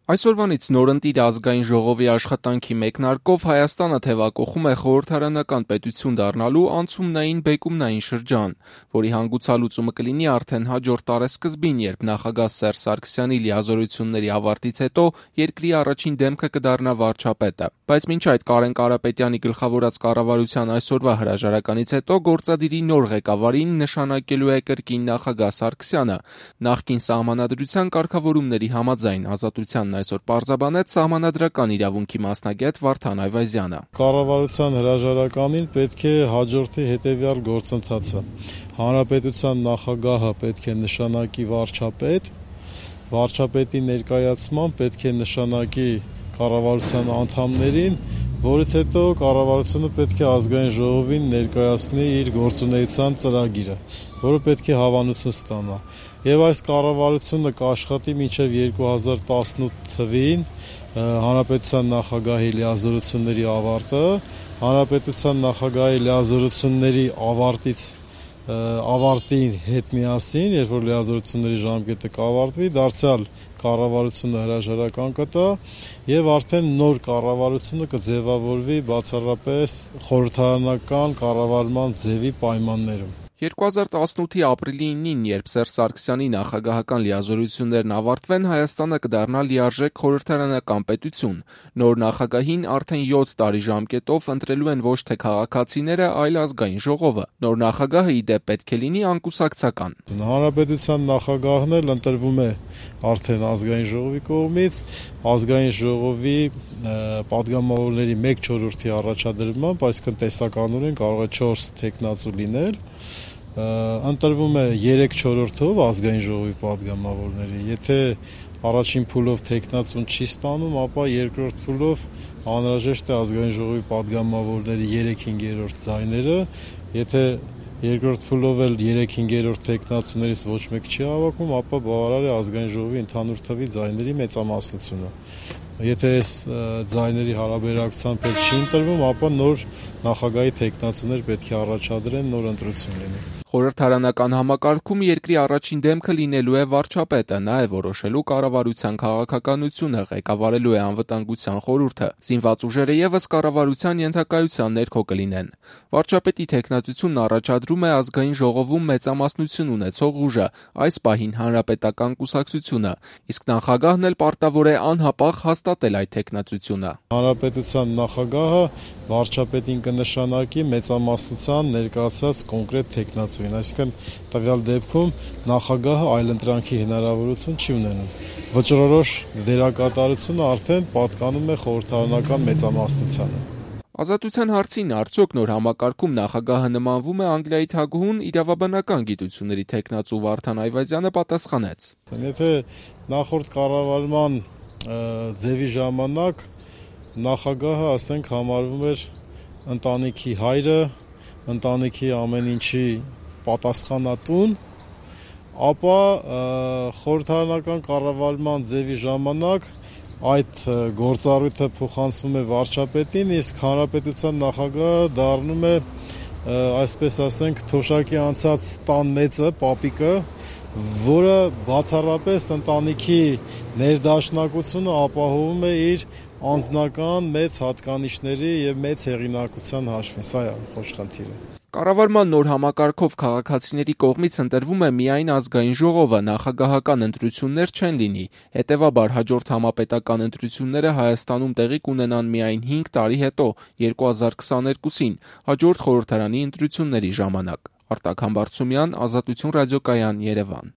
Այսօրվանից նորընտիր ազգային ժողովի աշխատանքի մեկնարկով Հայաստանը թևակողում է խորհրդարանական պետություն դառնալու անցումնային բեկումնային շրջան, որի հանգուցալուծումը կլինի արդեն հաջորդ տարեսկզբին, երբ նախագահ Սերժ Սարգսյանի լիազորությունների ավարտից հետո երկրի առաջին դեմքը կդառնա վարչապետը։ Բայց մինչ այդ Կարեն Կարապետյանի գլխավորած կառավարության այսօրվա հրաժարականից հետո գործադիրի նոր ղեկավարին նշանակելու է կրկին նախագահ Սարգսյանը։ Նախկին սահմանադրության կարգավորումների համաձայն Ազատությանն այսօր պարզաբանեց սահմանադրական իրավունքի մասնագետ Վարդան Այվազյանը։ Կառավարության հրաժարականին պետք է հաջորդի հետևյալ գործընթացը։ Հանրապետության նախագահը պետք է նշանակի վարչապետ, վարչապետի ներկայացման պետք է նշանակի կառավարության անդամներին, որից հետո կառավարությունը պետք է ազգային ժողովին ներկայացնի իր գործունեության ծրագիրը, որը պետք է հավանություն ստանա։ Եվ այս կառավարությունը կաշխատի մինչև 2018 թվին հանրապետության նախագահի լիազորությունների ավարտը, հանրապետության նախագահի լիազորությունների ավարտի հետ միասին, երբ որ լիազորությունների ժամկետը կավարտվի, դարձյալ կառավարությունը հրաժարական կտա եւ արդեն նոր կառավարությունը կձևավորվի բացառապես խորհրդարանական կառավարման ձևի պայմաններում։ 2018-ի ապրիլի 9-ին, երբ Սերժ Սարգսյանի նախագահական լիազորություններն ավարտվեն, Հայաստանը կդառնա լիարժեք խորհրդարանական պետություն։ Նոր նախագահին արդեն 7 տարի ժամկետով ընտրելու են ոչ թե քաղաքացիները, այլ ազգային ժողովը։ Նոր նախագահը ի դեպ պետք է լինի անկուսակցական։ Հանրապետության նախագահն էլ ընտրվում է արդեն ազգային ժողովի կողմից, ազգային ժողովի պատգամավորների 1/4-ի առաջադրմամբ, այսինքն տեսականորեն կարող է 4 թեկնածու լինել։ Ընտրվում է 3/4-ով ազգային ժողովի պատգամավորների։ Եթե առաջին փուլով թեկնածուն չի ստանում, ապա երկրորդ փուլով անհրաժեշտ է ազգային ժողովի պատգամավորների 3/5 ձայները։ Եթե երկրորդ փուլով էլ 3/5 թեկնածուներից ոչ մեկ չի հավաքում, ապա բավարար է ազգային ժողովի ընդհանուր թվի ձայների մեծամասնությունը։ Եթե այս ձայների հարաբերակցությամբ էլ չի ընտրվում, ապա նոր նախագահի թեկնածուներ պետք է առաջադրեն, նոր ընտրություն լինի։ Խորհրդարանական համակարգում երկրի առաջին դեմքը լինելու է վարչապետը, նա է որոշելու կառավարության քաղաքականությունը, ղեկավարելու է անվտանգության խորհուրդը։ Զինված ուժերը ևս կառավարության ենթակայության ներքո կլինեն։ Վարչապետի թեկնածությունն առաջադրում է ազգային ժողովում մեծամասնություն ունեցող ուժը, այս պահին հանրապետական կուսակցությունը, իսկ նախագահն էլ պարտավոր է անհապաղ հաստատել այդ թեկնածությունը։ Հանրապետության նախագահը վարչապետին կնշանակի մեծամասնության ներկայացած կոնկրետ թեկնածուին, այսինքն տվյալ դեպքում նախագահը այլընտրանքի հնարավորություն չի ունենում։ Վճռորոշ դերակատարությունը արդեն պատկանում է խորհրդարանական մեծամասնությանը։ Ազատության հարցին արդյոք նոր համակարգում նախագահը նմանվում է Անգլիայի թագուհուն, իրավաբանական գիտությունների թեկնածու Վարդան Այվազյանը պատասխանեց. Եթե նախորդ կառավարման ձևի ժամանակ նախագահը, ասենք, համարվում էր ընտանիքի հայրը, ընտանիքի ամեն ինչի պատասխանատուն, ապա խորհրդարանական կառավարման ձևի ժամանակ այդ գործառույթը փոխանցվում է վարչապետին, իսկ հանրապետության նախագահը դառնում է, այսպես ասենք, թոշակի անցած տան մեծը, պապիկը, որը բացառապես ընտանիքի ներդաշնակությունը ապահովում է իր անձնական մեծ հատկանիշների եւ մեծ հեղինակության հաշվին, սա է խոշխալթիրը։ Կառավարման նոր համակարգով քաղաքացիների կողմից ընտրվում է միայն ազգային ժողովը, նախագահական ընտրություններ չեն լինի, հետևաբար հաջորդ համապետական ընտրությունները Հայաստանում տեղի կունենան միայն 5 տարի հետո, 2022-ին, հաջորդ խորհրդարանի ընտրությունների ժամանակ։ Արտակ Համբարձումյան, Ազատություն ռադիոկայան, Երևան։